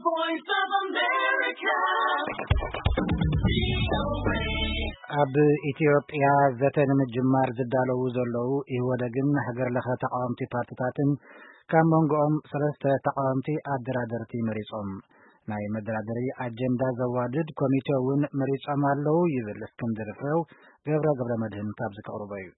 Voice of America. ኣብ ኢትዮጵያ ዘተ ንምጅማር ዝዳለዉ ዘለዉ ኢህወደግን ሃገር ለኸ ተቃወምቲ ፓርትታትን ካብ መንጎኦም ሰለስተ ተቃወምቲ ኣደራደርቲ መሪጾም። ናይ መደራደሪ ኣጀንዳ ዘዋድድ ኮሚቴ እውን መሪጾም ኣለዉ ይብል እስክንድር ፍሬው። ገብረ ገብረ መድህን ካብዚ ከቕርቦ እዩ።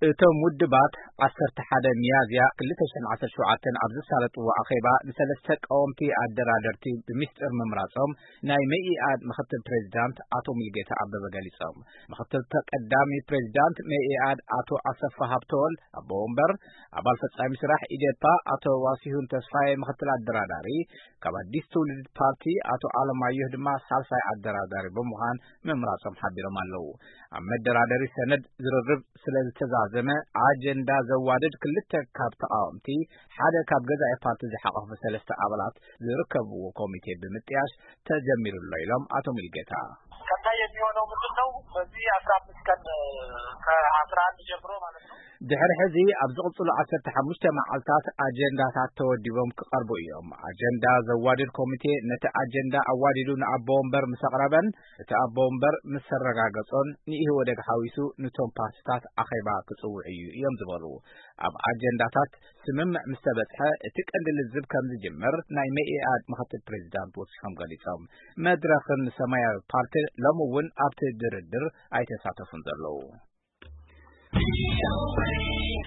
እቶም ውድባት ዓሰርተ ሓደ ሚያዝያ ክልተ ሽሕን ዓሰርተ ሸውዓተን ኣብ ዝሳለጥዎ ኣኼባ ንሰለስተ ቀወምቲ ኣደራደርቲ ብሚስጥር ምምራጾም ናይ መኢኣድ ምኽትል ፕሬዚዳንት ኣቶ ሙሉጌታ ኣበበ ገሊጾም። ምኽትል ተቀዳሚ ፕሬዚዳንት መኢኣድ ኣቶ ኣሰፋ ሃብተወልድ ኣቦ ወንበር፣ ኣባል ፈጻሚ ስራሕ ኢዴፓ ኣቶ ዋሲሁን ተስፋዬ ምኽትል ኣደራዳሪ፣ ካብ ኣዲስ ትውልድ ፓርቲ ኣቶ ኣለማየሁ ድማ ሳልሳይ ኣደራዳሪ ብምዃን ምምራጾም ሓቢሮም ኣለዉ። ኣብ መደራደሪ ሰነድ ዝርርብ ስለ ዝተዛዘመ ኣጀንዳ ዘዋድድ ክልተ ካብ ተቃወምቲ ሓደ ካብ ገዛኢ ፓርቲ ዝሓቆፈ ሰለስተ ኣባላት ዝርከብዎ ኮሚቴ ብምጥያሽ ተጀሚሩ ኣሎ ኢሎም ኣቶ ሙሉጌታ። ቀጣይ የሚሆነው ምንድን ነው? በዚህ አስራ አምስት ቀን ከአስራ አንድ ጀምሮ ማለት ነው። ድሕሪ ሕዚ ኣብ ዝቕጽሉ ዓሰርተ ሓሙሽተ መዓልታት ኣጀንዳታት ተወዲቦም ክቐርቡ እዮም። ኣጀንዳ ዘዋድድ ኮሚቴ ነቲ ኣጀንዳ ኣዋዲዱ ንኣቦ ወንበር ምስ ኣቕረበን እቲ ኣቦ ወንበር ምስ ኣረጋገጾን ንኢህወደግ ሓዊሱ ንቶም ፓርትታት ኣኼባ ክጽውዕ እዩ እዮም ዝበሉ። ኣብ ኣጀንዳታት ስምምዕ ምስ ተበጽሐ እቲ ቀንዲ ልዝብ ከም ዝጅምር ናይ መኢኣድ ምኽትል ፕሬዚዳንት ወሲኾም ገሊጾም። መድረኽን ሰማያዊ ፓርቲ ሎሚ እውን ኣብቲ ድርድር ኣይተሳተፉን ዘለዉ።